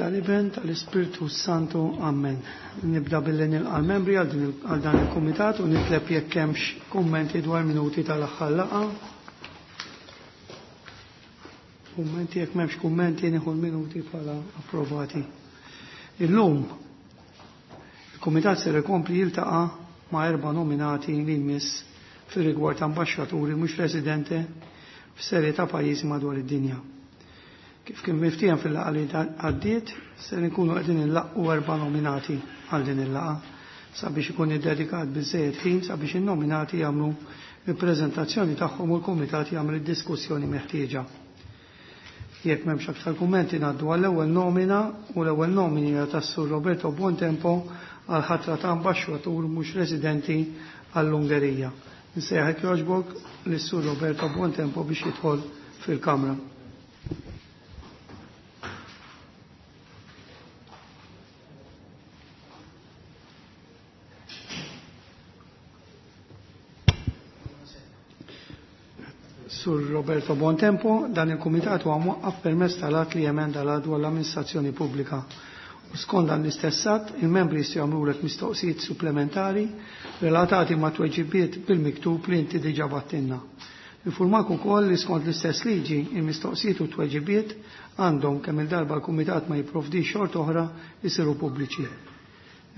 tal-Iben, tal-Ispirtu Santu. Amen. Nibda billi nilqa' l-membri għal dan il-kumitat u nitleb jekk hemmx kummenti dwar minuti tal-aħħar laqgħa. Kummenti jekk m'hemmx kummenti nieħu l-minuti bħala approvati. Illum il-kumitat ser ikompli jiltaqa' ma' erba' nominati li jmiss fir-rigward ta' ambaxxaturi mhux residenti f'serje ta' pajjiżi madwar id-dinja. Kif kien miftiehem fil-laqgħa li għaddiet, ser inkunu qegħdin inlaqqu erba' nominati għal din il-laqgħa sabiex ikun iddedikat biżżejjed ħin sabiex in-nominati jagħmlu il-preżentazzjoni tagħhom u l-kumitat jagħmel id-diskussjoni meħtieġa. Jekk m'hemmx aktar kummenti ngħaddu għall-ewwel nomina u l-ewwel nomini hija tas-Sur Roberto Buontempo għal ħatra ta' ambaxxatur mhux residenti għall-Ungerija. Nsejħek jogħġbok lis-Sur Roberto Buontempo biex jidħol fil-Kamra. Sur Roberto Bontempo, dan il-Kumitat huwa mwaqqaf permezz tal-att li jemenda l dwar l-amministrazzjoni pubblika. U skont dan l-istess att, il-membri jistgħu jagħmlulek mistoqsijiet supplementari relatati ma' tweġibiet bil-miktub li inti diġà battinna. Infurmak ukoll li skont l-istess liġi, il-mistoqsijiet u tweġibiet għandhom kemm il-darba l-Kumitat ma jipprovdix xort oħra jisiru pubbliċi.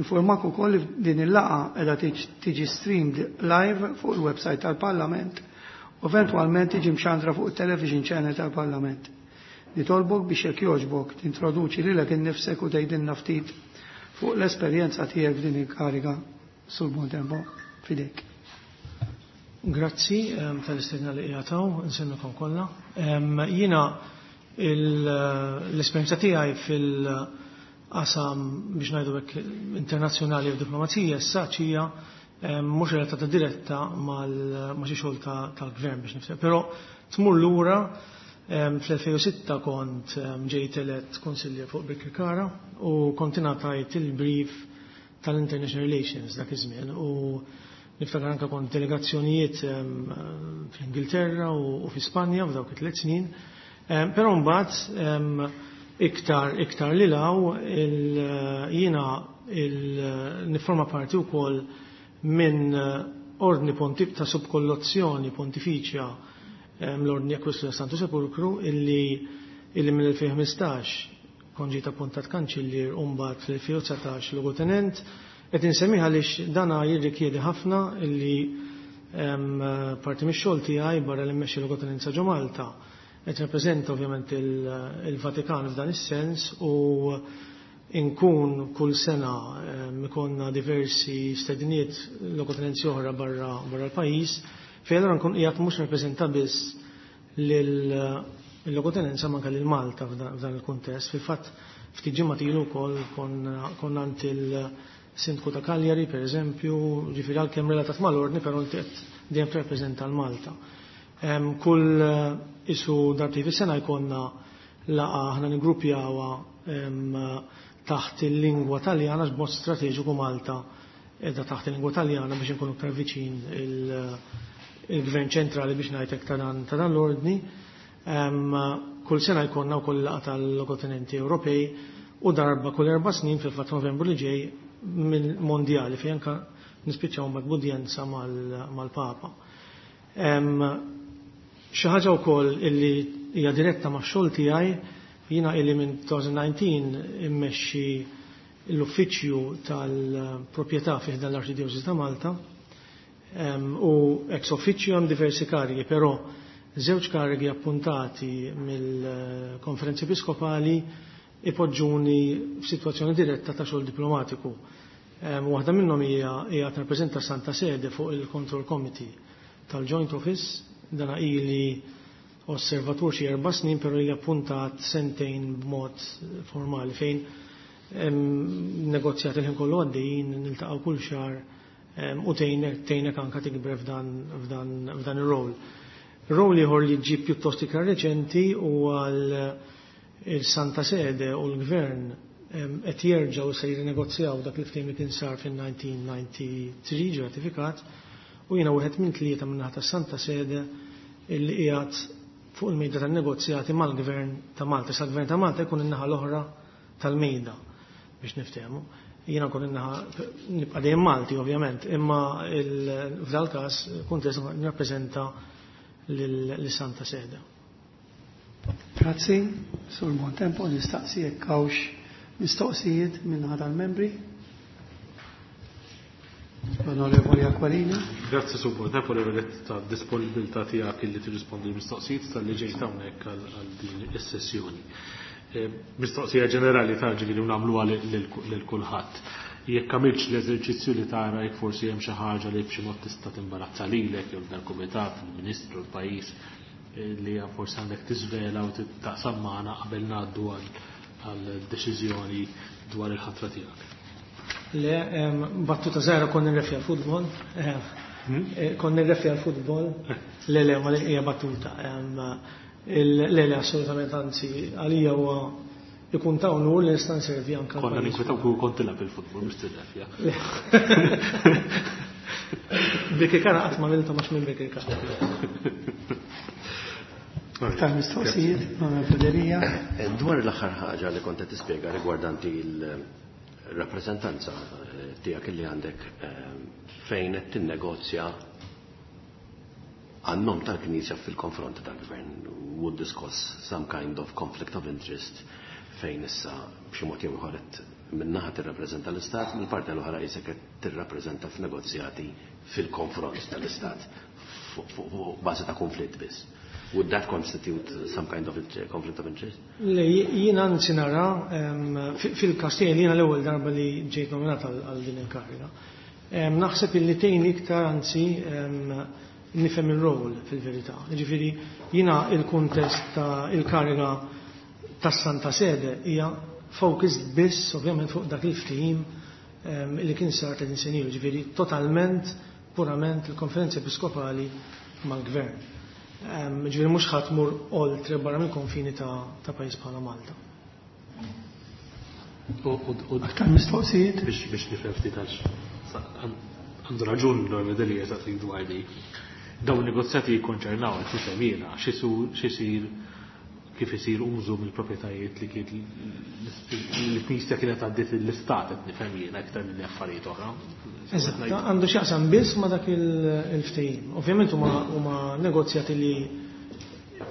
Informak ukoll li din il-laqgħa qiegħda tiġi streamed live fuq il-website tal-Parlament u eventwalment tiġi mxandra fuq il-television channel tal-Parlament. Nitolbok biex jekk jogħġbok tintroduċi lilek innifsek u tgħidilna ftit fuq l-esperjenza tiegħek f'din il-kariga sur Bontempo fidejk. Grazzi tal-istedina li qiegħed nsemmikom kollha. Jiena l-esperjenza tiegħi fil-qasam biex ngħidu hekk internazzjonali u diplomazija issa hija mhux relatata diretta ma' xi xogħol tal-gvern biex nifhem. Però tmur lura fl-2006 kont ġejt elett konsiljer fuq Birkirkara u kont ingħatajt il-brief tal-International Relations dak iż-żmien u niftakar anke kont delegazzjonijiet fl-Ingilterra u fi Spanja f'dawk it-tliet snin. Però mbagħad iktar iktar li law jiena nifforma parti wkoll minn ordni pontif ta' subkollozzjoni pontifiċja l-ordni Ekwestri Santu Sepulkru illi illi mill-2015 kon ġiet appuntat kanċillier u mbagħad fl-2019 logotenent. Qed insemmiha għaliex dana jirrikjedi ħafna illi parti mix-xogħol tiegħi barra li mmexxi logotenenza ġo Malta qed rappreżenta ovvjament il-Vatikan f'dan is-sens u inkun kull sena ikonna diversi stediniet logotenenzi oħra barra barra l-pajjiż fejn allura nkun qiegħed mhux rappreżenta biss lil-logotenenza manka lil Malta f'dan il-kuntest. Fil-fatt ftit ġimgħat ilu wkoll konna għand il-Sindku ta' Cagliari pereżempju, ġifieri għalkemm relatat mal-ordni però inti qed dejjem tirrappreżenta l-Malta. Kull isu darbtejn fis-sena jkollna laqgħa aħna niggrupjawha taħt il-lingwa Taljana b'mod strateġiku Malta edha taħt il-lingwa Taljana biex inkunu aktar viċin il-gvern ċentrali biex ngħidlek ta' dan l-ordni. Kull sena jkollna wkoll laqgħa tal-logotenenti Ewropej u darba kull 4 snin fil-fatt Novembru li ġej mill-mondjali fejn anke nispiċċaw mal-udjenza mal-Papa. Xi ħaġa wkoll illi hija diretta max-xogħol tiegħi, jiena illi minn 2019 immexxi l-uffiċċju tal-proprjetà fih dan l-Arċidjoċesi ta' Malta u ex officio hemm diversi karigi, però żewġ karigi appuntati mill-konferenzi episkopali ipoġġuni f'sitwazzjoni diretta ta' xogħol diplomatiku. Waħda minnhom hija hija tirrappreżenta Santa Sede fuq il-Control Committee tal-Joint Office, dana ili osservatur xi 4 snin, però ili appuntat sentejn b'mod formali fejn negozjat il-ħin kollu għaddejjin, niltaqgħu kull xahar u tgħinek anke tikber f'dan ir-rol. Rol ieħor li ġie pjuttost iktar reċenti huwa il-Santa Sede u l-Gvern qed jerġgħu se jirnegozjaw dak li ftehim li kien sar fin-1993 ġie ratifikat u jiena wieħed minn tlieta min-naħa tas-Santa Sede illi qiegħed fuq il-mejda tan-negozjati mal-Gvern ta' Malta. Sa l-Gvern ta' Malta jkun in-naħa l-oħra tal-mejda biex niftehmu. Jiena nkun in-naħa nibqa' dejjem Malti ovvjament, imma f'dal każ kuntest nirrappreżenta lis-Santa Sede. Grazzi, Sur Bontempo, nistaqsi jekk hawnx mistoqsijiet minn tal-membri. L-Onorevoli Aquilina. Grazzi Sur Bontempo li vedet ta' disponibilità tiegħek illi tirrispondi l-mistoqsijiet tal-li ġejt hawnhekk għal din is-sessjoni. Mistoqsija ġenerali ta' ġifieri nagħmluha lil kulħadd. Jekk għamilx l-eżerċizzju li tara jekk forsi hemm xi ħaġa li b'xi mod tista' timbarazza lilek jew dal-kumitat, il-Ministru, l-pajjiż li forsi għandek tiżvela u taqsam magħna qabel ngħaddu għal deċiżjoni dwar il-ħatra tiegħek. Le, battuta żgħira kont nirrefja l-futbol. Kont nirrefja l-futbol. Le, le, ma hija battuta. Le, le, assolutament, anzi, għalija huwa ikun ta' unur li nista' nservi anke Konna ninkwetaw kieku kont tilgħab il-futbol mhux tirrefja. Birkirkara qatt ma milta mhux minn Birkirkara. Aktar mistoqsijiet, Onorevoli Delia. Dwar l-aħħar ħaġa li kont qed tispjega rigwardanti il-rappreżentanza tiegħek li għandek fejn qed tinnegozja għan-nom tal-Knisja fil-konfront tal-Gvern, would this cause some kind of conflict of interest fejn issa b'xi mod jew ieħor qed min-naħa tirrappreżenta l-Istat, mill-parti l-oħra qisek qed tirrappreżenta f'negozjati fil-konfront tal-Istat fuq bażi ta' konflitt biss. Would that constitute some kind of conflict of interest? Le, jiena anzi nara fil-każ tiegħi li jiena l-ewwel darba li ġejt nominat għal din il-kariga. Naħseb illi tgħin iktar anzi nifhem ir-rol fil-verità. Jiġifieri jiena il-kuntest ta' il-kariga tas-Santa Sede hija focused biss ovvjament fuq dak il-ftehim li kien sar 30 sena ilu, jiġifieri totalment purament il-Konferenza Episkopali mal-Gvern. Ġifieri mhux ħadd mur oltre barra mill-konfini ta' pajjiż bħala Malta. Aktar mistoqsijiet? Biex nifhem ftit għax għandu raġun l-Onorevoli Delia saqsik dwar di. Dawn negozjati jikkonċernaw qed nifhem jiena x'isir kif isir użu mill-proprjetajiet li kien l-Knisja kienet għaddiet l-Istat qed nifhem jiena iktar minn affarijiet oħra. Eżatt, għandu x'jaqsam biss ma' dak il-ftehim. Ovvjament huma negozjati li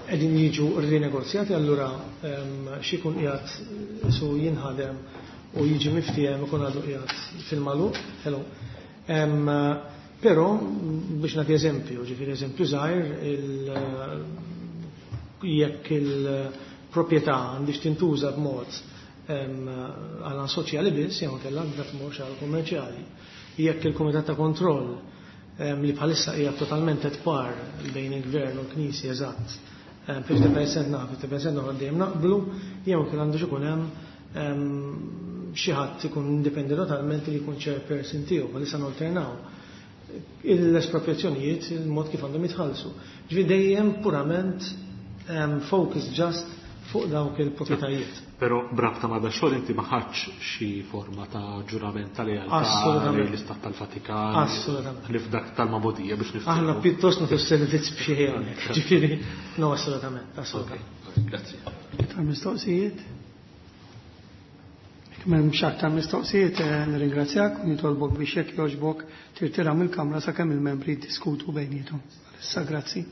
qegħdin jiġu rinegozjati, allura x'ikun qiegħed su jinħadem u jiġi miftiehem ikun għadu qiegħed fil-magħluq. Hello. Però biex nagħti eżempju, ġifieri eżempju żgħir, jekk il-proprjetà għandix tintuża b'mod għal soċjali biss, jew inkella għandha tmur xi għal kummerċjali. Jekk il-Kumitat ta' Kontroll li bħalissa hija totalment at par bejn il-Gvern u l-Knisja eżatt, 50% naqblu, 50% oħra dejjem naqblu, jew inkella għandu ikun hemm xi ħadd ikun indipendenti totalment li jkun chairperson tiegħu, bħalissa nalternaw l-espropriazzjonijiet, il-mod kif għandhom jitħallsu. Ġifieri dejjem purament focus just fuq dawk il-proprjetajiet. Però brabta ma' da xogħol inti ma ħadx xi forma ta' ġurament tal-lealtà Assolutament. l-Istat tal-Vatikan. Assolutament. Li f'dak tal-Mabodija biex niftehmu. Aħna pjuttost nagħtu servizz b'xi ħin. Ġifieri, no, assolutament, assolutament. Ok, grazzi. Aktar mistoqsijiet? Jekk m'hemmx aktar mistoqsijiet, nirringrazzjak u nitolbok biex jekk jogħġbok tirtira mill-kamra sakemm il-membri jiddiskutu bejniethom. Issa grazzi.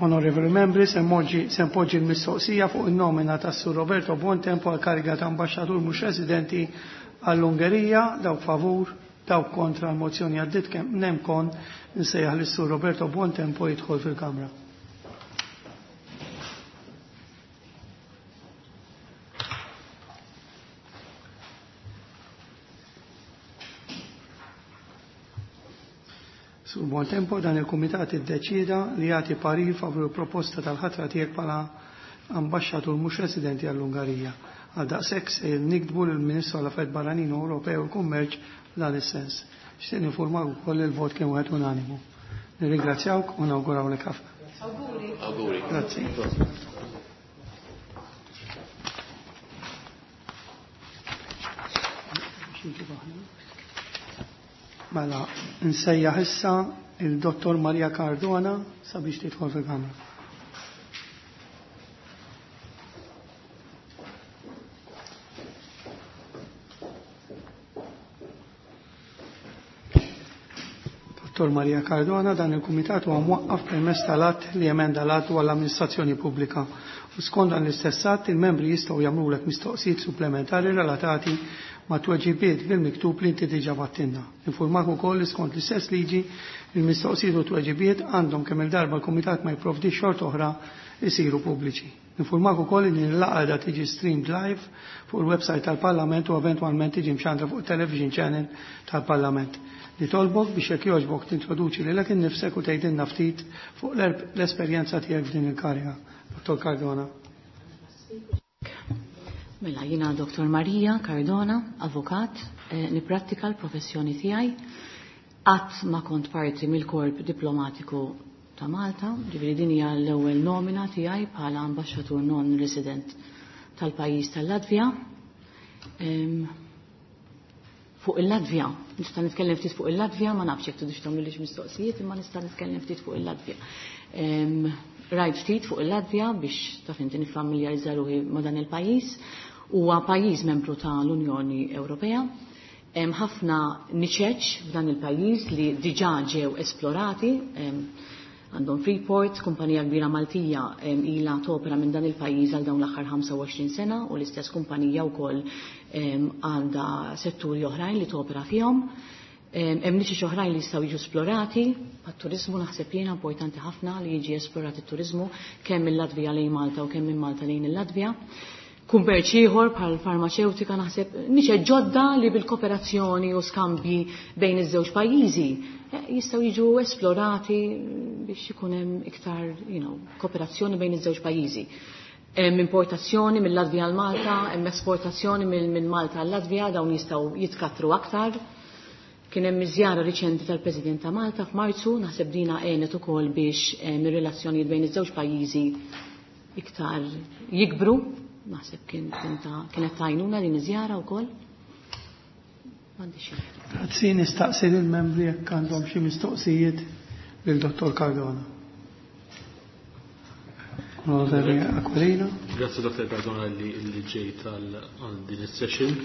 Onorevoli membri, se npoġġi l-mistoqsija fuq in-nomina tas Sur Roberto Buontempo għal kariga ta' ambaxxatur mhux residenti għall-Ungerija, dawk favur, dawk kontra l-mozzjoni għaddit kemm nemkon nsejjaħ lis-Sur Roberto Buontempo jidħol fil-Kamra. Sur Buontempo dan il-Kumitat iddeċieda li jagħti parir favur il-proposta tal-ħatra tiegħek bħala ambaxxatur mhux residenti għall-Ungarija. Għal daqshekk se niktbu lill-Ministru għall-Affarijiet Barranin u Ewropew u l-Kummerċ f'dan is-sens. Xtieq ninformak ukoll li l-vot kien wieħed unanimu. Nirringrazzjawk u nawgurawlek ħafna. Awguri. Awguri. Grazzi. Mela, nsejjaħ issa il-Dottor Maria Cardona sabiex tidħol fil-Kamra. Dottor Maria Cardona, dan il-Kumitat huwa mwaqqaf permezz tal-att li emenda l-att dwar l-amministrazzjoni pubblika. U skont dan l-istess att, il-membri jistgħu jagħmlulek mistoqsijiet supplementari relatati ma' tweġibiet bil-miktub li inti diġà battinna. Infurmak ukoll li skont l-istess liġi il-mistoqsijiet u tweġibiet għandhom kemm il-darba l-Kumitat ma jipprovdix xort oħra isiru pubbliċi. Infurmak ukoll li din il-laqgħa qiegħda tiġi streamed live fuq il-website tal-Parlament u eventwalment tiġi mxandra fuq television channel tal-Parlament. Nitolbok biex jekk jogħġbok tintroduċi lilek innifsek u tgħidilna ftit fuq l-esperjenza tiegħek f'din il-kariga. Dottor Cardona. Mela, jiena Dottor Maria Cardona, avukat, nipprattika l-professjoni tiegħi. Qatt ma kont parti mill-korp diplomatiku ta' Malta, ġifieri din hija l-ewwel nomina tiegħi bħala ambaxxatur non-resident tal-pajjiż tal-Latvja. Fuq il-Latvja, nista' nitkellem ftit fuq il-Latvja, ma nafx jekk tridux tagħmlulix mistoqsijiet, imma nista' nitkellem ftit fuq il-Latvja. Rajt ftit fuq il-Latvja biex taf inti niffamiljarizza ruħi ma' dan il-pajjiż. Huwa pajjiż membru tal-Unjoni Ewropea. Hemm ħafna niċeċ f'dan il-pajjiż li diġà ġew esplorati. Għandhom Freeport, kumpanija kbira Maltija ilha topera minn dan il-pajjiż għal dawn l-aħħar 25 sena u l-istess kumpanija wkoll għandha setturi oħrajn li topera fihom. Hemm niċeċ oħrajn li jistgħu jiġu esplorati, għat-turiżmu naħseb jiena importanti ħafna li jiġi esplorat it-turiżmu kemm mill-Latvija lejn Malta u kemm minn Malta lejn il-Latvja. Kummerċ ieħor bħal farmaċewtika naħseb niċeċ ġodda li bil-kooperazzjoni u skambji bejn iż-żewġ pajjiżi jistgħu jiġu esplorati biex ikun hemm iktar, you know, kooperazzjoni bejn iż-żewġ pajjiżi. Hemm importazzjoni mill-Latvija għal Malta, hemm esportazzjoni minn Malta għal Latvija, dawn jistgħu jitkattru aktar. Kien hemm iżjara riċenti tal-President ta' Malta f'Marzu, naħseb dina għenet ukoll biex ir-relazzjonijiet bejn iż-żewġ pajjiżi iktar jikbru. Naħseb kienet tajnuna din iż-żjara wkoll. M'għandix xi. Grazzi, nistaqsi lill-membri jekk għandhom xi mistoqsijiet lil Dottor Cardona. Onorevoli Aquilina. Grazzi Dottor Cardona li ġejt għal din is-session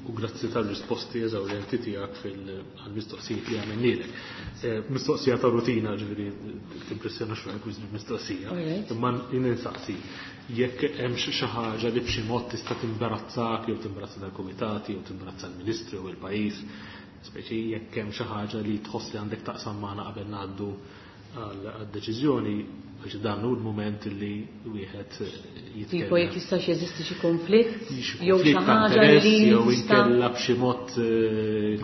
u grazzi tal-risposti eżawrjenti tiegħek għall-mistoqsijiet li għamilnielek. Mistoqsija ta' rutina, ġifieri timpressjona xi wisq mistoqsija. Imma jien insaqsi jekk hemm xi ħaġa li b'xi mod tista' timbarazzak jew timbarazza dal-kumitati jew timbarazza l-Ministri u l-pajjiż, speċi jekk hemm xi ħaġa li tħoss li għandek taqsam magħna qabel ngħaddu għad-deċiżjoni, għax dan hu l-mument li wieħed jitkellem. Tipo jekk jistax jeżisti xi konflitt, Xi jew xi konflitt ta' ħaġa interess, li jew tista' inkella b'xi mod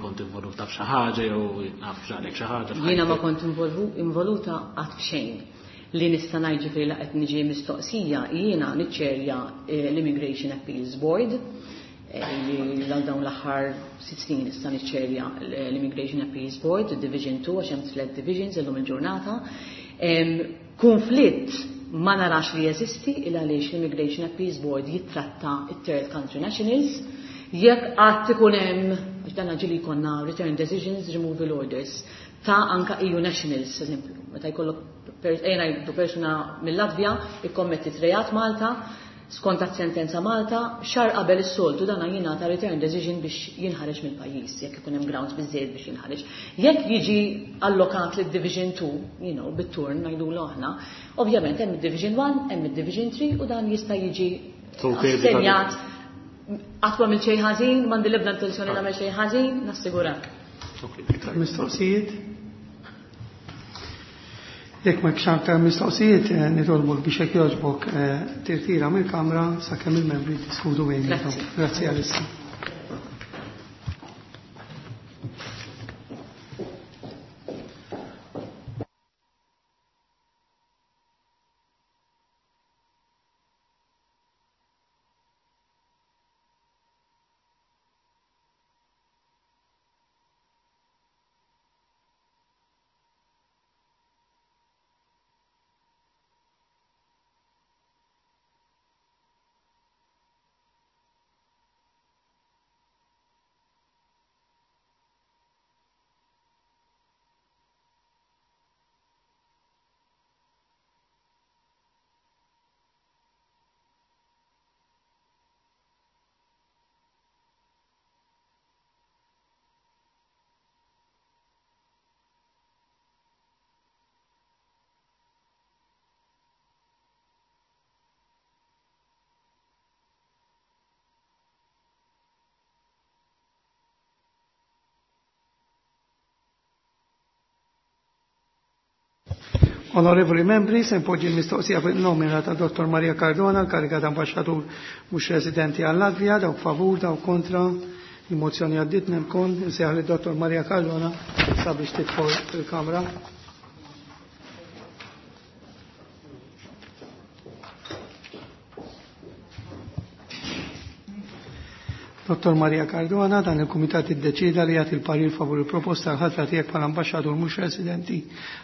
kont involuta f'xi ħaġa jew naf x'għalek xi ħaġa f'ħajtek. Jiena ma kont involuta qatt f'xejn. Li nista' ngħid ġifieri laqgħet niġi mistoqsija, jiena niċċerja l-Immigration Appeals Board, li għal dawn l-aħħar 6 snin nista' niċċerja l-Immigration Appeals Board, Division 2, għax hemm 3 divisions illum il-ġurnata. Konflitt ma narax li jeżisti il għaliex l-Immigration Appeals Board jittratta it-third country nationals. Jekk qatt ikun hemm, għax dan ġieli jkollna return decisions, removal orders ta' anka EU nationals, eżempju, meta jkollok ejna jibdu persuna mill-Latvja ikkommettit reat Malta, Skont sentenza Malta, xahar qabel is-soltu dana jingħata return decision biex jinħareġ mill-pajjiż, jekk ikun hemm grounds biżejjed biex jinħareġ. Jekk jiġi allokat lid Division 2, bit-turn ngħidulu aħna, ovvjament hemm id-Division 1, hemm id-Division 3 u dan jista' jiġi assenjat. Qatt m'għamilt xejn ħażin, m'għandi l-ebda intenzjoni nagħmel xejn ħażin, nassigurak. Mistoqsijiet? Jekk ma aktar mistoqsijiet, nitolbok biex jekk jogħġbok tirtira mill-Kamra sakemm il-membri jiddiskutu bejniethom. Grazzi għalissa. Onorevoli membri, se npoġġi l-mistoqsija fuq il-nomina ta' Dr. Maria Cardona, l-kariga ta' ambasċatur mhux residenti għal Latvija, dawk favur, dawk kontra, il-mozzjoni għaddiet nemkon, insejjaħ li Dr. Maria Cardona sabiex tidħol fil-Kamra. Dr. Maria Cardona, dan il-Kumitat iddeċida li jagħti l-parir favur il-proposta l-ħatra tiegħek bħala ambaxxatur mhux residenti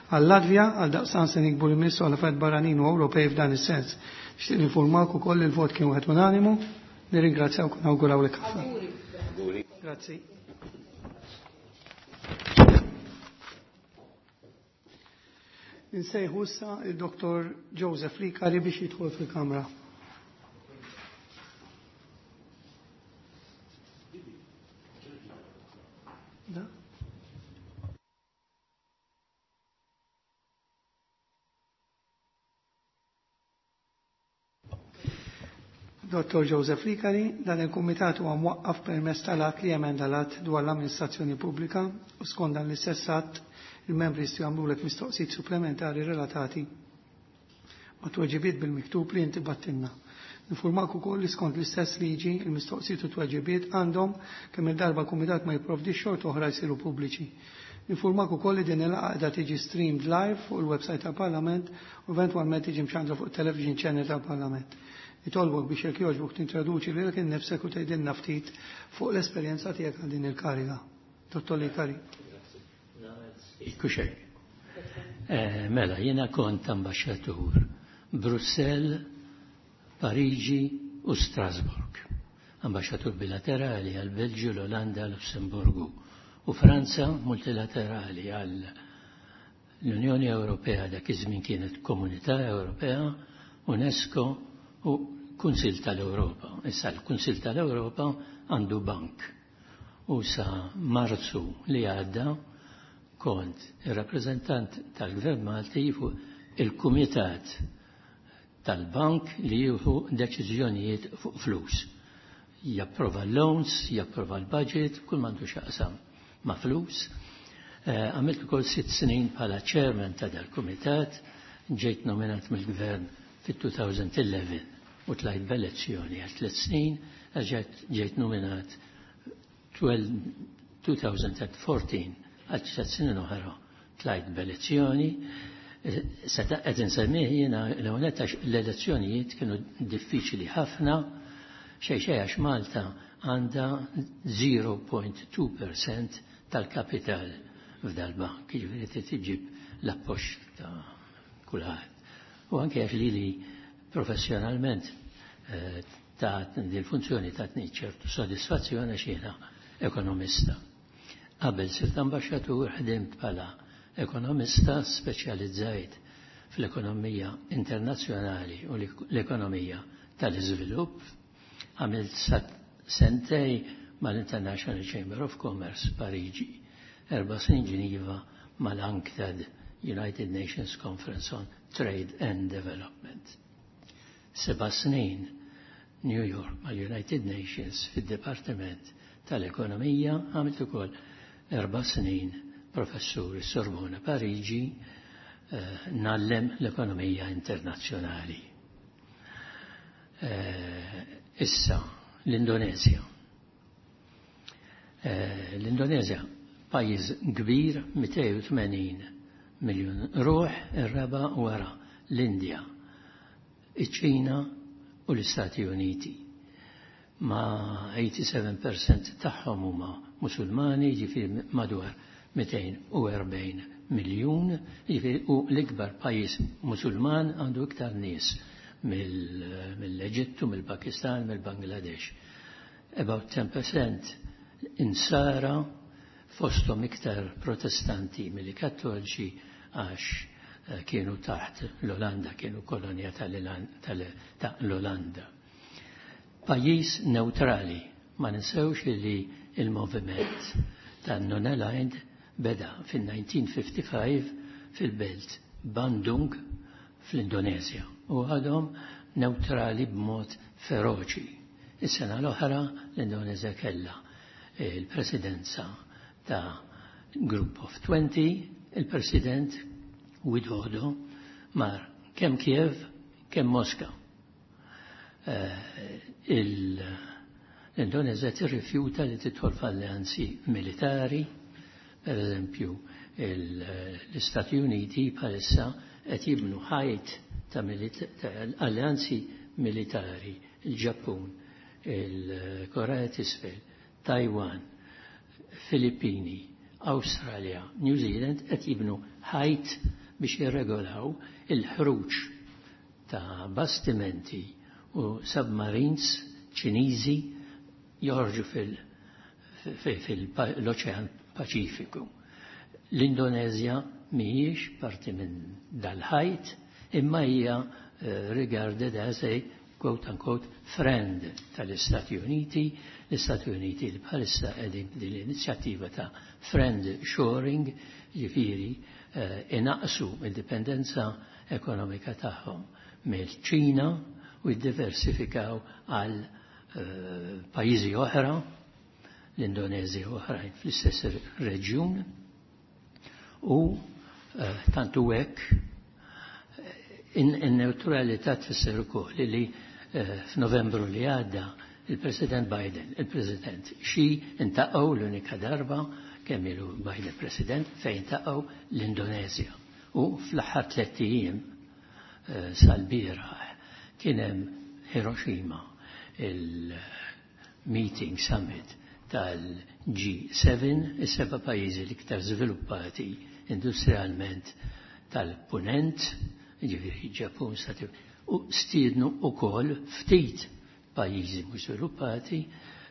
għal-Latvja għal daqsan se nikbu l-Ministru għal affarijiet barranin u Ewropej f'dan is-sens. Nixtieq ninformak ukoll li l-vot kien wieħed unanimu. Nirringrazzjawk u nawgurawlek ħafna. Grazzi. Insejħu issa il-Dr. Joseph Licari biex jidħol fil-Kamra. Dr. Joseph Licari, dan il-Kumitat huwa mwaqqaf permezz tal-att li jemenda l-att dwar l-amministrazzjoni pubblika u skont dan l-istess att il-membri jistgħu jagħmlulek mistoqsijiet supplementari relatati ma' tweġibiet bil-miktub li inti battilna. Nifurmak ukoll li skont l-istess liġi il-mistoqsijiet u tweġibiet għandhom kemm il-darba kumitat ma jipprovdix xorta oħra jsiru pubbliċi. Nifurmak ukoll li din il-laqgħa qiegħda tiġi streamed live fuq il-website tal-Parlament u eventwalment tiġi mxandra fuq television channel tal-Parlament. Nitolbok biex jekk jogħġbok tintroduċi lilek innifsek u tgħidilna ftit fuq l-esperjenza tiegħek għal din il-kariga. Dottor Licari. Kuxek. Mela, jiena kont ambaxxatur Brussell, Pariġi u Strasburg. Ambaxxatur bilaterali għal Belġju, l-Olanda, Lussemburgu u Franza multilaterali għal l-Unjoni Ewropea dak iż-żmien kienet Komunità Ewropea, UNESCO u Kunsill tal-Ewropa. Issa l-Kunsill tal-Ewropa għandu bank. U sa Marzu li għadda kont ir-rappreżentant tal-Gvern Malti fuq il-Kumitat tal-Bank li jieħu deċiżjonijiet fuq flus. Japprova loans, japprova l-budget, kull m'għandu x'jaqsam ma' flus. Għamilt ukoll 6 snin bħala chairman ta' dal-kumitat, ġejt nominat mill-gvern fit-2011 u tlajt b'elezzjoni għal 3 snin, ġejt nominat 2014 għal 3 snin oħra tlajt b'elezzjoni. Seta qed insemmih jiena l-ewwel għax l-elezzjonijiet kienu diffiċli ħafna, xejn xejn għax Malta għandha 0.2% tal-kapital f'dal-bank, jiġifieri trid tiġib l-appoġġ ta' kulħadd. U anke għax lili professjonalment ta' dil-funzjoni tatni ċertu sodisfazzjoni għax jiena ekonomista. Qabel sirt ambaxxatur ħdimt bħala ekonomista speċjalizzajt fl-ekonomija internazzjonali u l-ekonomija tal-iżvilupp, għamilt sentej mal-International Chamber of Commerce Pariġi, 4 snin Ġiniva mal-UNCTAD, United Nations Conference on Trade and Development. 7 snin New York mal-United Nations fid-Departiment tal-Ekonomija, għamilt ukoll 4 snin professur Sorbona Pariġi, ngħallem l-ekonomija internazzjonali. Issa, l-Indonezja. L-Indonezja pajjiż kbir, 280 miljun ruħ, ir-raba wara l-Indja, iċ-Ċina u l-Istati Uniti. Ma 87% tagħhom huma Musulmani, ġifieri madwar 240 miljun, ġifieri u l-ikbar pajjiż Musulman, għandu iktar nies mill-Eġittu, mill-Pakistan, mill-Bangladesh. About 10% insara, fostom iktar protestanti milli kattoliċi għax kienu taħt l-Olanda, kienu kolonja ta' l-Olanda. Pajjiż neutrali, ma ninsewx li il-moviment ta' non-aligned beda fil-1955 fil-belt Bandung fl-Indonezja u għadhom neutrali b'mod feroċi. Is-sena l-oħra l-Indonezja kella il-presidenza ta' Group of 20, il-president Widodo mar kemm Kiev, kemm Moska. L-Indonezja tirrifjuta li tidħol f'alleanzi militari, per eżempju l-Istati Uniti bħalissa qed jibnu ħajt ta' alleanzi militari, il-Ġappun, il-Korea t'Isfel, Taiwan, Filippini, Australia, New Zealand, qed jibnu ħajt biex jirregolaw il-ħruġ ta' bastimenti u submarines Ċiniżi joħorġu fil-Oċean Paċifiku. L-Indonezja mhijiex parti minn dal-ħajt, imma hija regarded as a quote unquote friend tal-Istati Uniti, l-Istati Uniti li bħalissa qegħdin din l-inizjattiva ta' friend shoring, ġifieri inaqsu il-dipendenza ekonomika tagħhom mill-Ċina u jiddiversifikaw għal pajjiżi oħra, l-Indonezja u oħrajn fl-istess reġjun. U tantu hekk in-neutralità tfisser ukoll li f'Novembru li għadda il-President Biden, il-President Xi iltaqgħu l-unika darba kemm ilu Biden President fejn iltaqgħu l-Indonezja. U fl-aħħar 3 ijiem sal-bieraħ kien hemm Hiroshima il-meeting summit tal-G7, is-seba' pajjiżi l-iktar żviluppati industrialment tal-punent, ġifieri Ġappun, Stati, u stiednu ukoll ftit pajjiżi mhux żviluppati,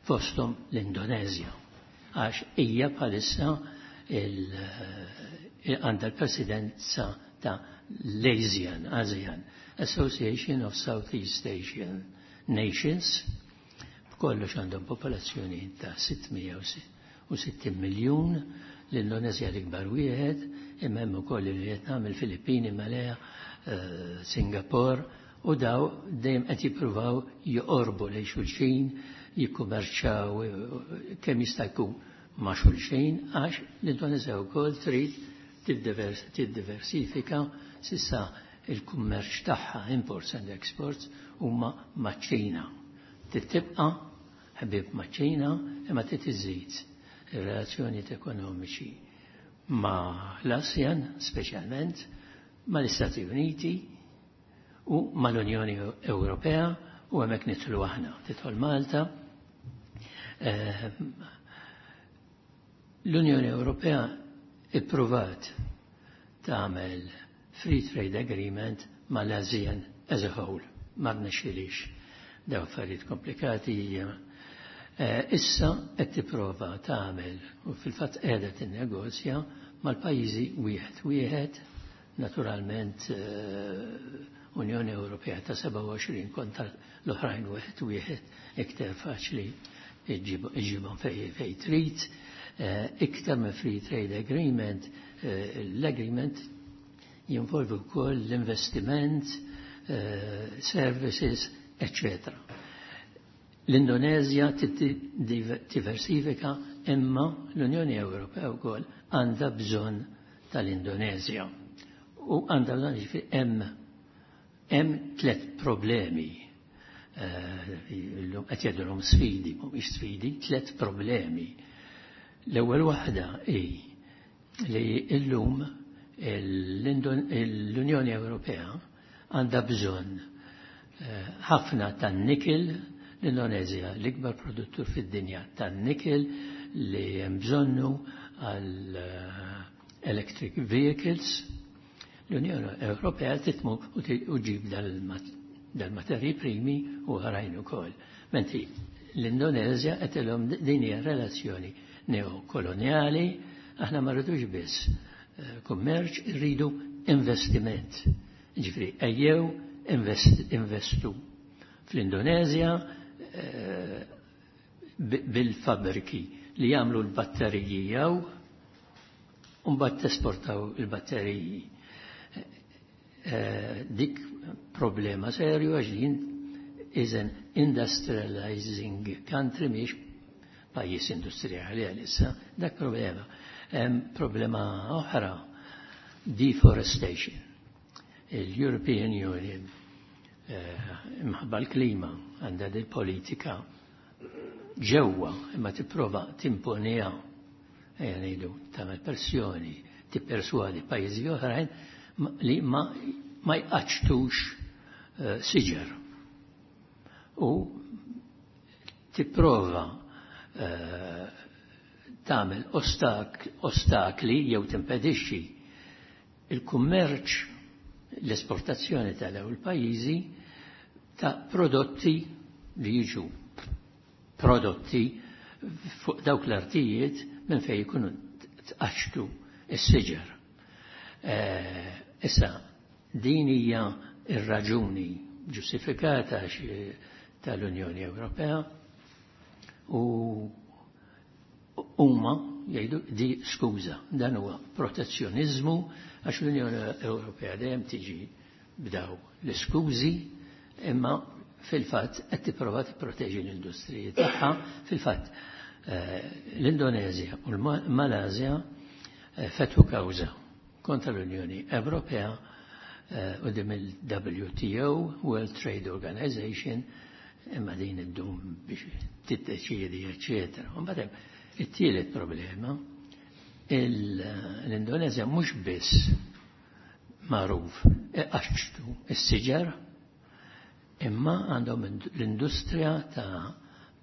fosthom l-Indonezja. Għax hija bħalissa għandha l-presidenza ta' l-ASEAN, ASEAN, Association of Southeast Asian Nations, b'kollox għandhom popolazzjoni ta' 660 miljun, l-Indonezja l-ikbar wieħed, imma hemm ukoll il-Vietnam, il-Filippini, Malaya, Singapore, u daw dejjem qed jippruvaw joqorbu lejn xulxin, jikkummerċaw kemm jista' jkun ma' xulxin, għax l-Indonezja wkoll trid tiddiversifika. S'issa il-kummerċ tagħha, imports and exports, huma maċ-Ċina. Tibqa' ħbieb maċ-Ċina, imma trid iżid ir-relazzjonijiet ekonomiċi ma' l-ASEAN, speċjalment ma' l-Istati Uniti u mal-Unjoni Ewropea, u hemmhekk nidħlu aħna, tidħol Malta. L-Unjoni Ewropea ippruvat tagħmel free trade agreement mal-ASEAN as a whole, ma rnexxilix. Daw affarijiet komplikati. Issa qed tipprova tagħmel u fil-fatt qiegħda tinnegozja mal-pajjiżi wieħed wieħed, naturalment. Unjoni Ewropea ta' 27 kontra l-oħrajn wieħed wieħed iktar faċli iġibhom fej trid. Iktar minn Free Trade Agreement, l-agreement jinvolvi wkoll l-investiment, services, etc. L-Indonezja diversifika imma l-Unjoni Ewropea wkoll għandha bżonn tal-Indonezja. U għandha bżonn jiġifieri hemm tliet problemi. Illum qed jgħidulhom sfidi, mhumiex sfidi, tliet problemi. L-ewwel waħda hi li llum l-Unjoni Ewropea għandha bżonn ħafna tan-nikil. L-Indonezja l-ikbar produttur fid-dinja tan-nikil li hemm bżonnu għal electric vehicles. L-Unjoni Ewropea titmu u ġib dal-materji primi u oħrajn ukoll. Mentri l-Indonezja qed ilhom din hija relazzjoni neokoloniali, aħna ma rridux biss kummerċ, irridu investiment. Ġifieri ejjew investu fl-Indonezja bil-fabriki li jagħmlu l-batteriji jew u mbagħad tesportaw il-batteriji. Dik problema serju għax din is an industrializing country, mhix pajjiż industrijali għalissa, dak problema. Problema oħra, deforestation. Il-European Union imħabba l-klima għandha dil politika ġewwa imma tipprova timponiha, ejja ngħidu tagħmel pressjoni, tipperswadi pajjiżi oħrajn li ma jqaċtux siġar. U tipprova tagħmel ostakli jew timpedixxi il-kummerċ, l-esportazzjoni tal-ewwel pajjiżi ta' prodotti li jiġu prodotti fuq dawk l-artijiet minn fejn jkunu tqaċtu s-siġar. Issa, din hija ir-raġuni ġustifikata tal-Unjoni Ewropea u huma jgħidu di skuża, dan huwa protezzjoniżmu għax l-Unjoni Ewropea dejjem tiġi b'daw l-iskużi imma fil-fatt qed tipprova tipproteġi l-industriji tagħha. Fil-fatt l-Indonezja u l-Malasja fetħu kawża kontra l-Unjoni Ewropea quddiem il-WTO, World Trade Organization, imma din iddum biex tiddeċiedi, eċetera. U mbagħad it-tielet problema, l-Indonezja mhux biss magħruf iqaċċtu s-siġar, imma għandhom l-industrija ta'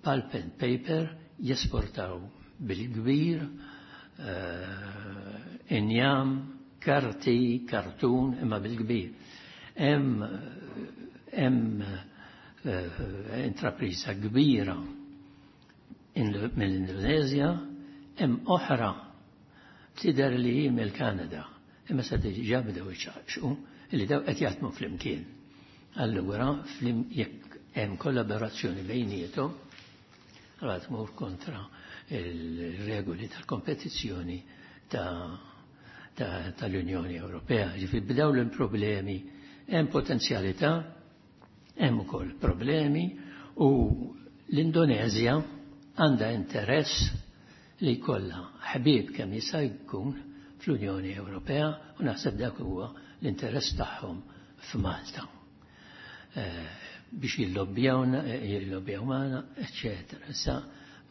pulp and paper, jesportaw bil-kbir injam, karti, kartun, imma bil-kbir. Hemm intrapriża kbira mill-Indonezja, hemm oħra tidher li hi mill-Kanada, imma se diġà bdew iċaqxu li daw qed jaħdmu flimkien. Allura jekk hemm kollaborazzjoni bejniethom, allura tmur kontra il-regoli tal-kompetizzjoni tal-Unjoni Ewropea. Ġifieri bdew l-problemi, hemm potenzjalità, hemm ukoll problemi u l-Indonezja għandha interess li jkollha ħbieb kemm jista' jkun fl-Unjoni Ewropea u naħseb dak huwa l-interess tagħhom f'Malta. Biex jillobbjawna, jillobbjaw magħna, eċetera. Issa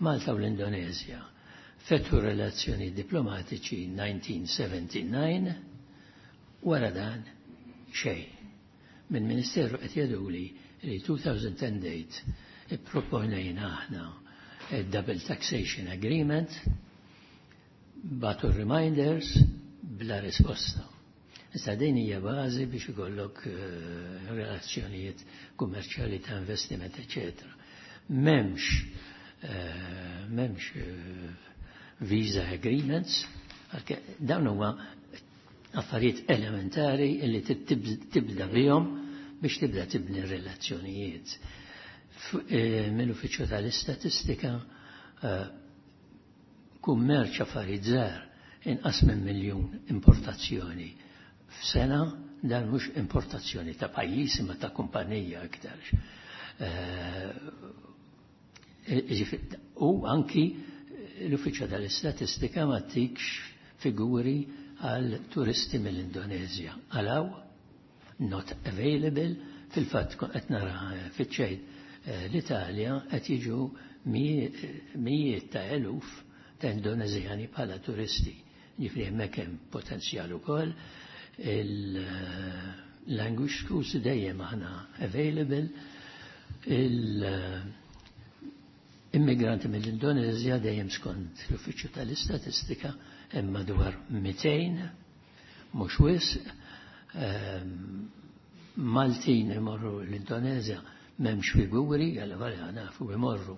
Malta u l-Indonezja fetħu relazzjoni diplomatiċi 1979, wara dan xejn. Minn Ministeru qed jgħiduli li 2010 date ipproponejna aħna double taxation agreement, bagħtu reminders bla risposta. Issa din hija bażi biex ikollok relazzjonijiet kummerċjali ta' investiment, eċetera. M'hemmx visa agreements, dawn huma affarijiet elementari li tibda bihom biex tibda tibni relazzjonijiet. Mill-Uffiċċju tal-Istatistika kummerċ affarijiet żgħar inqas minn miljun importazzjoni f'sena, dan mhux importazzjoni ta' pajjiż imma ta' kumpanija aktar. U anki l-Uffiċċju tal-Istatistika ma tikx figuri għal turisti mill-Indonezja. Għalaw, not available, fil-fatt qed nara fiċ-ċejt l-Italja qed jiġu mijiet ta' eluf ta' Indonezjani bħala turisti. Ġifieri hemmhekk hemm potenzjal ukoll. Il-language schools dejjem aħna available. Il-immigranti mill-Indonezja dejjem skont l-Uffiċċju tal-Istatistika hemm madwar 200, mhux wisq. Maltin imorru l-Indonezja m'hemmx figuri, għal nafu imorru.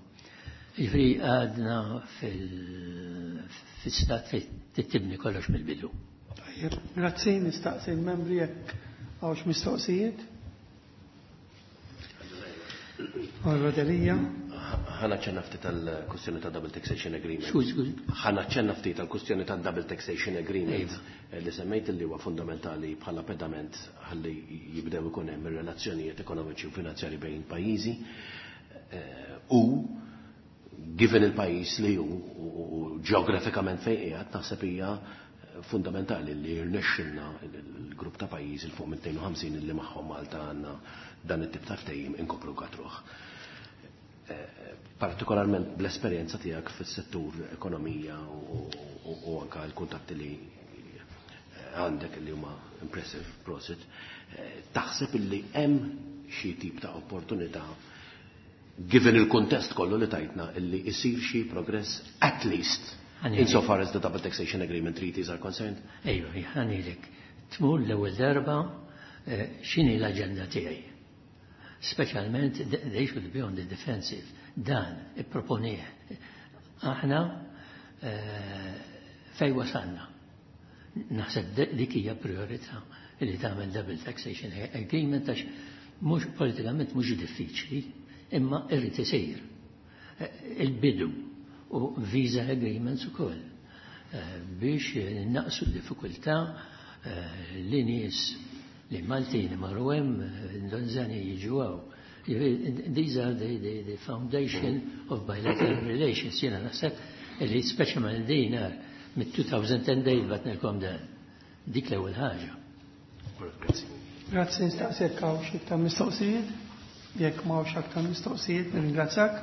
Ġifieri għadna fil-stat fejn tibni kollox mill-bidu. Tajjeb, grazzi, nistaqsi l-membri jekk hawnx mistoqsijiet. Onorevole Delia. Ħa naċċenna ftit tal-kwestjoni ta' Double Taxation Agreement. Skuż, skuż. Ħa naċċenna ftit tal-kwestjoni ta' Double Taxation Agreement li semmejt li huwa fundamentali bħala pedament ħalli jibdew ikun hemm ir-relazzjonijiet ekonomiċi u finanzjari bejn pajjiżi. U given il-pajjiż li hu u ġeografikament fejn qiegħed, naħseb hija fundamentali li jirnexxilna il-grupp ta' pajjiżi il fuq minn 52 li magħhom Malta għandna dan it-tip ta' ftehim inkopru katruħ. Partikolarment bl-esperjenza tiegħek fis-settur ekonomija u anka l-kuntatti li għandek li huma impressive, prosit, taħseb illi hemm xi tip ta' opportunità given il-kontest kollu li tajtna illi isir xi progress at least insofar as the double taxation agreement treaties are concerned? Ejju, ħanilek. Tmur l-ewwel darba x'inhi l-aġenda tiegħi. Speċjalment they should be on the defensive. Dan ipproponih. Aħna fej wasalna. Naħseb dik hija priorità li tagħmel double taxation agreement għax mhux politikament mhux diffiċli, imma irrid isir. Il-bidu u visa agreements ukoll biex naqsu d-diffikultà li nies li Maltin marru hemm, Indonezjani jiġu hawn. These are the foundation of bilateral relations. Jiena naħseb li speċjalment din mit-2010 batnilkom dan. Dik l-ewwel ħaġa. Grazzi. Grazzi, nistaqsek hawn xi iktar mistoqsijiet. Jekk ma hawnx aktar mistoqsijiet, nirringrazzjak.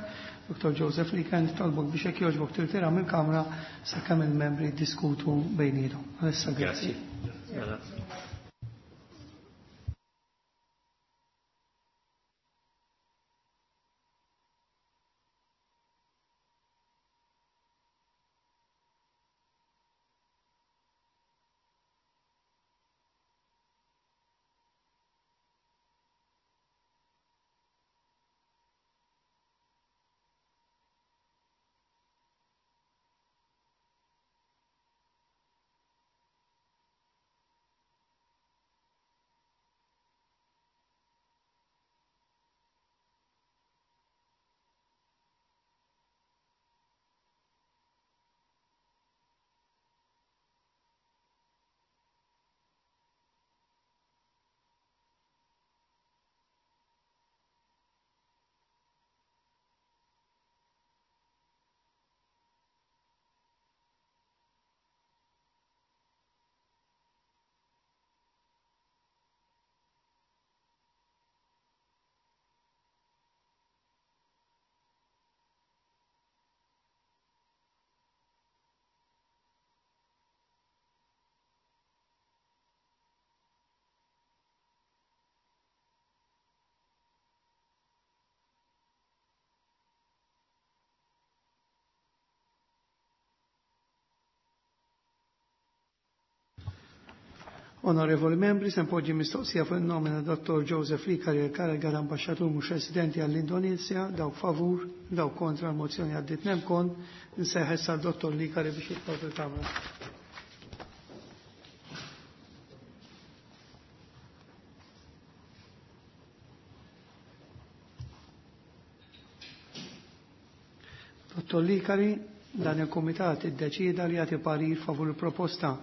Dr. Joseph Licari, nitolbok biex jekk jogħġbok tirtira mill-kamra sakemm il-membri jiddiskutu bejniethom. Għalissa grazzi. Grazzi. Onorevoli membri, se npoġġi mistoqsija fuq il-nomina Dr. Joseph Licari il-kariga ta' ambasċatur mhux residenti għall-Indonezja, dawk favur, dawk kontra l-mozzjoni għaddit nemkon, nsejħ issa Dr. Licari biex jitlob il-Kamra. Dottor Licari, dan il-Kumitat iddeċieda li jagħti parir favur il-proposta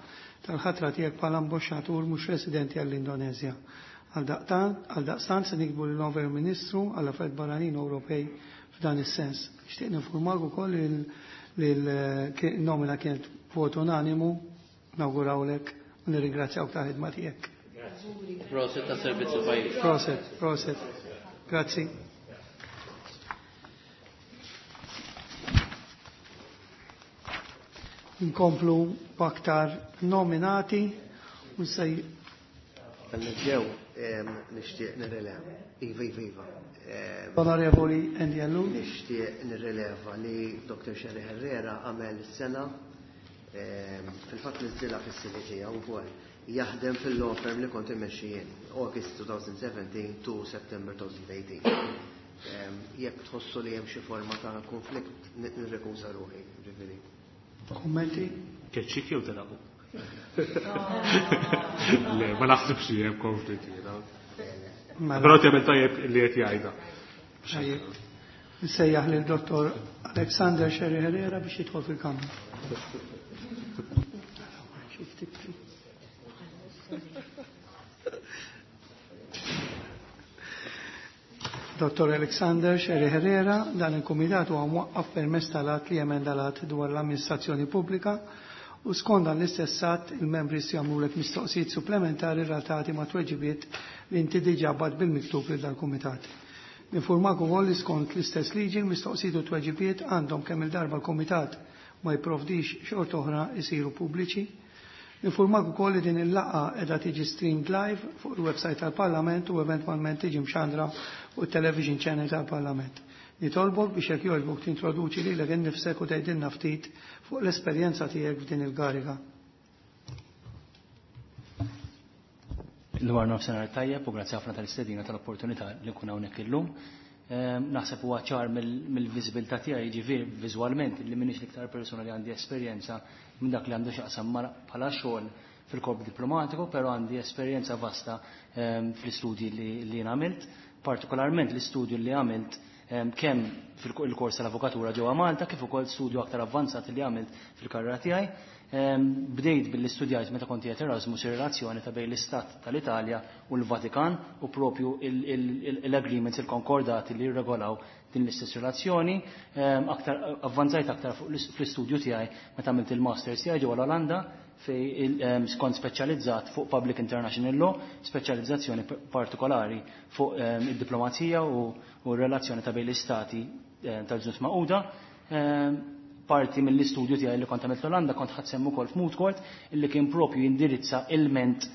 tal-ħatra tiegħek bħala ambaxxatur mhux residenti għall-Indonezja. Għaldaqstant se nikbu lill Ministru għall-Affarijiet Barranin Ewropej f'dan is-sens. Nixtieq ninfurmak ukoll li l-nomina kienet vot unanimu, nawgurawlek u nirringrazzjawk tal-ħidma tiegħek. Proset ta' servizz il-pajjiż. Proset, proset. Grazzi. Nkomplu b'aktar nominati u sej. Nibdew nixtieq nirrileva. Iva, iva, iva. Onorevoli Andy Ellul. Nixtieq nirrileva li Dr. Sherry Herrera għamel sena fil-fatt niżżilha fis-CV tiegħu wkoll jaħdem fil-law firm li kont immexxi jien, August 2017 to September 2018. Jekk tħossu li hemm xi forma ta' konflitt nirrekuża ruħi, ġifieri. Kummenti? Keċċik jew telaqu? Le, ma naħsibx li hemm konflitt jiena. Però tagħmel tajjeb li qed jgħidha. Tajjeb. Nsejjaħ lil Dottor Alexander Sherry Herrera biex jidħol fil-kamra. Dottor Alexander Sherry Herrera, dan il-Kumitat huwa mwaqqaf permezz tal-att li jemenda l-att dwar l-amministrazzjoni pubblika u skont dan l-istess att il-membri se jagħmlulek mistoqsijiet supplementari relatati ma' tweġibiet li inti diġà bgħatt bil-miktub lil dal-Kumitat. Ninfurmak ukoll li skont l-istess liġi l-mistoqsijiet u tweġibiet għandhom kemm il-darba l-Kumitat ma jipprovdix xorta oħra jsiru pubbliċi. Ninfurmak ukoll li din il-laqgħa qiegħda tiġi streamed live fuq il-website tal-Parlament u eventwalment tiġi mxandra fuq it-television channel tal-Parlament. Nitolbok biex jekk jogħġbok tintroduċi lilek innifsek u tgħidilna ftit fuq l-esperjenza tiegħek f'din il-kariga. Dwar nofsinhar tajjeb u grazzi ħafna tal-istedina tal-opportunità li nkun hawnhekk illum. Naħseb huwa ċar mill-viżibilità tiegħi, jiġifieri viżwalment li m'iniex l-iktar persuna li għandi esperjenza minn dak li għandu x'jaqsam bħala xogħol fil-korp diplomatiku, però għandi esperjenza vasta fl-istudji li jien għamilt, partikolarment l-istudju li għamilt kemm fil-kors tal-avukatura ġewwa Malta kif ukoll studju aktar avvanzat li għamilt fil-karriera tiegħi. Bdejt billi studjajt meta kont qiegħed Erasmus ir-relazzjoni ta' bejn l-Istat tal-Italja u l-Vatikan u propju l-agreements, il-konkordati li jirregolaw din l-istess relazzjoni. Aktar avvanzajt aktar fl-istudju tiegħi meta għamilt il-masters tiegħi ġewwa l-Olanda fej kont speċjalizzat fuq Public International Law, speċjalizzazzjoni partikolari fuq id-diplomazija u r-relazzjoni ta' bejn l-istati tal-Ġnus Magħquda. Parti mill-istudju tiegħi li kont għamilt l-Olanda kont ħadd sehem ukoll f'moot court illi kien propju jindirizza ilment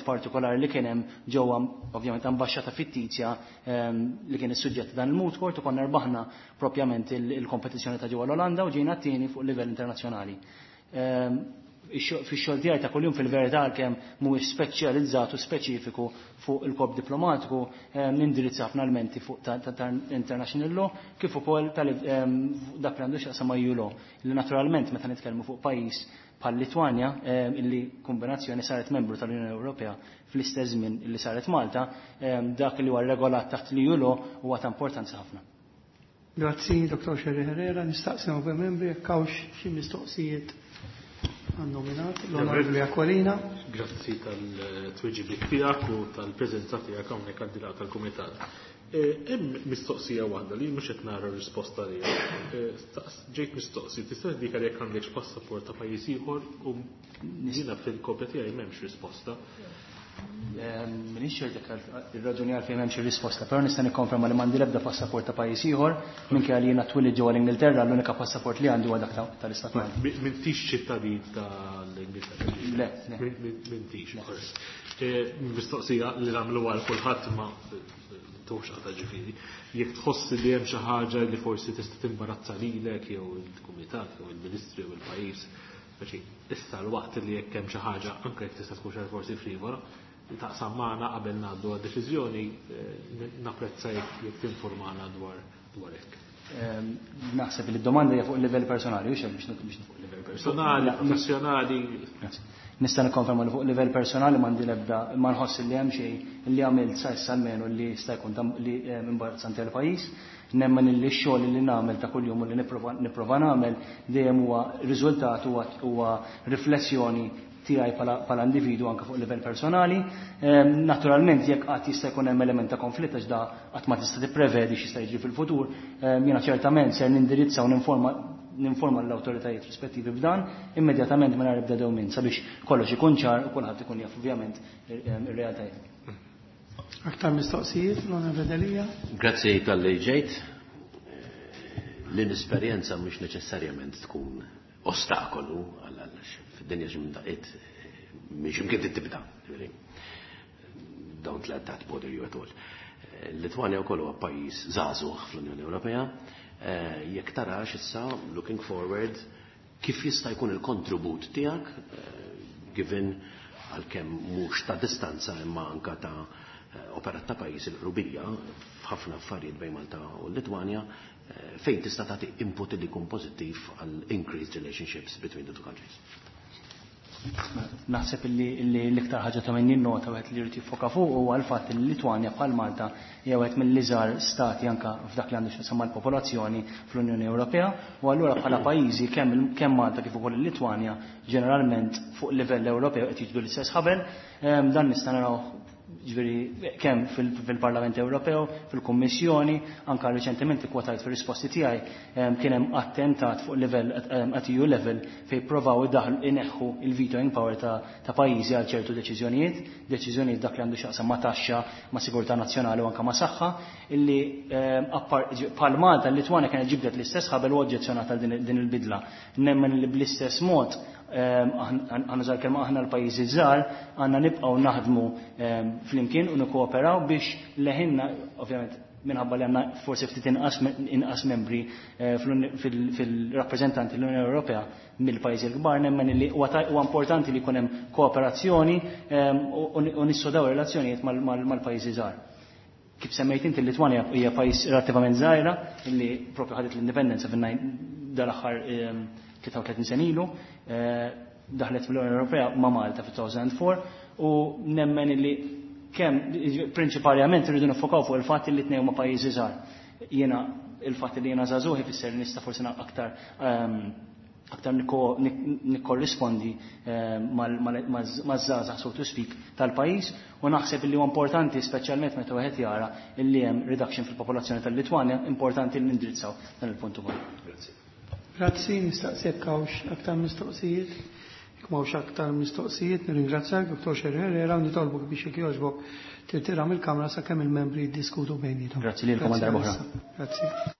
partikolari li kien hemm ġewwa ovvjament ambaxxata fittizja li kien is-suġġett ta' dan il-moot court u konna rbaħna propjament il-kompetizzjoni ta' ġewwa l-Olanda u ġejna t-tieni fuq livell internazzjonali. Fix-xogħol tiegħi ta' kuljum fil-verità għalkemm mhuwiex speċjalizzat u speċifiku fuq il-korp diplomatiku, nindirizza ħafna elementi fuq ta' international law kif ukoll dak li għandu x'jaqsam ma' EU law. Li naturalment meta nitkellmu fuq pajjiż bħal Litwanja, illi kombinazzjoni saret membru tal-Unjoni Ewropea fl-istess żmien illi saret Malta, dak li huwa regolat taħt l-EU law huwa ta' importanza ħafna. Grazzi, Dr. Sherry Herrera. Nistaqsi membri jekk hawnx xi mistoqsijiet għan-nominat, l-Onorevoli Aquilina. Grazzi tal-tweġibiet tiegħek u tal-preżenza tiegħek hawnhekk għad-dilaq tal-Kumitat. Hemm mistoqsija waħda li mhux qed nara r-risposta għaliha. Ġejt mistoqsi, tista' tindika jekk għandekx passaport ta' pajjiż ieħor u jiena fil-kopja tiegħi m'hemmx risposta. Minix ċert jekk ir-raġuni għalfejn m'hemmx ir-risposta, però nista' nikkonferma li m'għandi l-ebda passaport ta' pajjiż ieħor, minkejja li jiena twilid ġewwa l-Ingilterra, l-unika passaport li għandi huwa dak tal-Istat Malti. M'intix ċittadin tal-Ingilterra? Le, le. M'intix, korrett. Mistoqsija li nagħmlu għal kulħadd ma tux għata ġifieri. Jekk tħoss li hemm xi ħaġa li forsi tista' timbarazza lilek jew il-kumitat jew il-ministri jew il-pajjiż, speċi issa l-waqt li jekk hemm xi ħaġa anke jekk tista' tkun xi forsi frivola, taqsam magħna qabel ngħaddu għad-deċiżjoni, napprezza jekk tinformana dwar hekk. Naħseb li d-domanda hija fuq il-livell personali, hux biex fuq il-livell personali, professjonali. Grazzi. Nista' nikkonferma li fuq livell personali m'għandi l-ebda ma nħoss li hemm xejn li għamilt sa issa almenu li jista' jkun li imbarazzanti għall-pajjiż. Nemmen li x-xogħol li nagħmel ta' kuljum u li nipprova nagħmel dejjem huwa riżultat huwa riflessjoni tiegħi bħala individu anke fuq livell personali. Naturalment jekk qatt jista' jkun hemm element ta' konflitt għax da qatt ma tista' tipprevedi x'jista' jiġri fil-futur, jiena ċertament ser nindirizza u ninforma l-awtoritajiet rispettivi b'dan immedjatament mingħajr ebda dewmien sabiex kollox ikun ċar u kulħadd ikun jaf ovvjament ir-realtajiet. Aktar mistoqsijiet, l-Onorevoli Delia. Grazzi talli ġejt. L-inesperjenza mhux neċessarjament tkun ostakolu għal fid-dinja xi mdaqqiet mhix imkien tibda. Don't let that bother you at all. Litwanja wkoll huwa pajjiż żagħżugħ fl-Unjoni Ewropea. Jekk tarax issa, looking forward, kif jista' jkun il-kontribut tiegħek, given għalkemm mhux ta' distanza imma anka ta' operat ta' pajjiż il-qrubija f'ħafna affarijiet bejn Malta u Litwanja, fejn tista' tagħti input li jkun pożittiv għal increased relationships between the two countries. Naħseb li l-iktar ħaġa ta' min jinnota wieħed li jrid jiffoka fuq huwa l-fatt li Litwanja bħal Malta hija wieħed mill-iżgħar stati anke f'dak li għandu x'jaqsam mal-popolazzjoni fl-Unjoni Ewropea, u allura bħala pajjiżi kemm Malta kif ukoll il-Litwanja ġeneralment fuq livell Ewropew qed jiġbdu l-istess ħabel. Dan nista' naraw ġifieri kemm fil-Parlament Ewropew, fil-Kummissjoni, anke reċentement ikkwotajt fir-risposti tiegħi kien hemm attentat fuq livell at EU level fejn provaw idaħlu ineħħu il-vetoing power ta' pajjiżi għal ċertu deċiżjonijiet, deċiżjonijiet dak li għandu x'jaqsam ma' taxxa, ma' sigurtà nazzjonali u anke ma' saħħa, illi bħal Malta l-Litwanja kienet ġibdet l-istess ħabel u oġġezzjonat għal din il-bidla. Nemmen li bl-istess mod għanna kelma aħna l-pajjiżi żgħar għandna nibqgħu naħdmu flimkien u nikkooperaw biex leħinna, ovvjament minħabba li għandna forsi ftit inqas membri fil-rappreżentanti l-Unjoni Ewropea mill-pajjiżi l-kbar, nemmen li huwa importanti li jkun hemm kooperazzjoni u nissodaw relazzjonijiet mal-pajjiżi żgħar. Kif semmejt inti, l-Litwanja hija pajjiż relattivament żgħira illi propju ħadet l-indipendenza dal-aħħar 33 sena ilu, daħlet fl-Unjoni Ewropea ma' Malta fi-2004, u nemmen li kemm prinċipalment irridu nifokaw fuq il-fatt li tnejn huma pajjiżi żgħar. Jiena il-fatt li jiena żagħżugħ ifisser li nista' forsi aktar nikkorrispondi maż-żgħażagħ, so to speak, tal-pajjiż, u naħseb li huwa importanti speċjalment meta wieħed jara li hemm reduction fil-popolazzjoni tal-Litwanja, importanti li nindrizzaw dan il-punt ukoll. Grazzi. Grazzi, nistaqsek hawnx aktar mistoqsijiet. Jekk m'hawnx aktar mistoqsijiet, nirringrazzjak Dr. Scerri Herrera u nitolbok biex jekk jogħġbok tirtira mill-kamra sakemm il-membri jiddiskutu bejniethom. Grazzi lilkom għal darba oħra. Grazzi.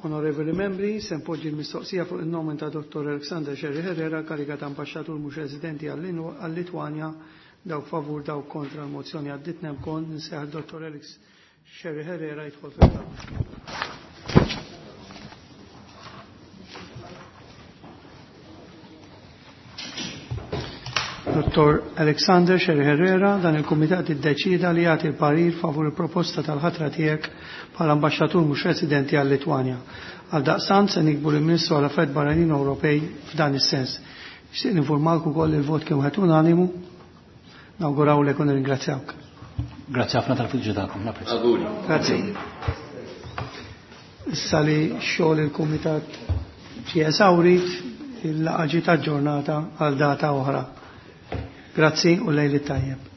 Onorevoli membri, se npoġġi l-mistoqsija fuq il-nomen ta' Dr. Alexander Scerri Herrera, kariga ta' ambasċatur mhux residenti għall-Litwanja, dawk favur, dawk kontra, l-mozzjoni għaddit. Nemkon nsejjaħ Dr. Alex Scerri Herrera jidħol fil-kamra. Dr. Alexander Scerri Herrera, dan il-Kumitat iddeċida li jagħti l-parir favur il-proposta tal-ħatra tiegħek bħala ambaxxatur mhux residenti għal-Litwanja. Għal daqstant se niktbu lill-Ministru għal Affarijiet Barranin Ewropej f'dan is-sens. Nixtieq ninformalk ukoll il-vot kien wieħed unanimu. Nawgurawlek u nirringrazzjawk. Grazzi ħafna tal-fiduċja tagħkom, napprezza. Auguri. Grazzi. Issa li xogħol il-Kumitat ġie esawrit, il-laqgħa ġiet aġġornata għal data oħra. Grazzi u lejli tajjeb.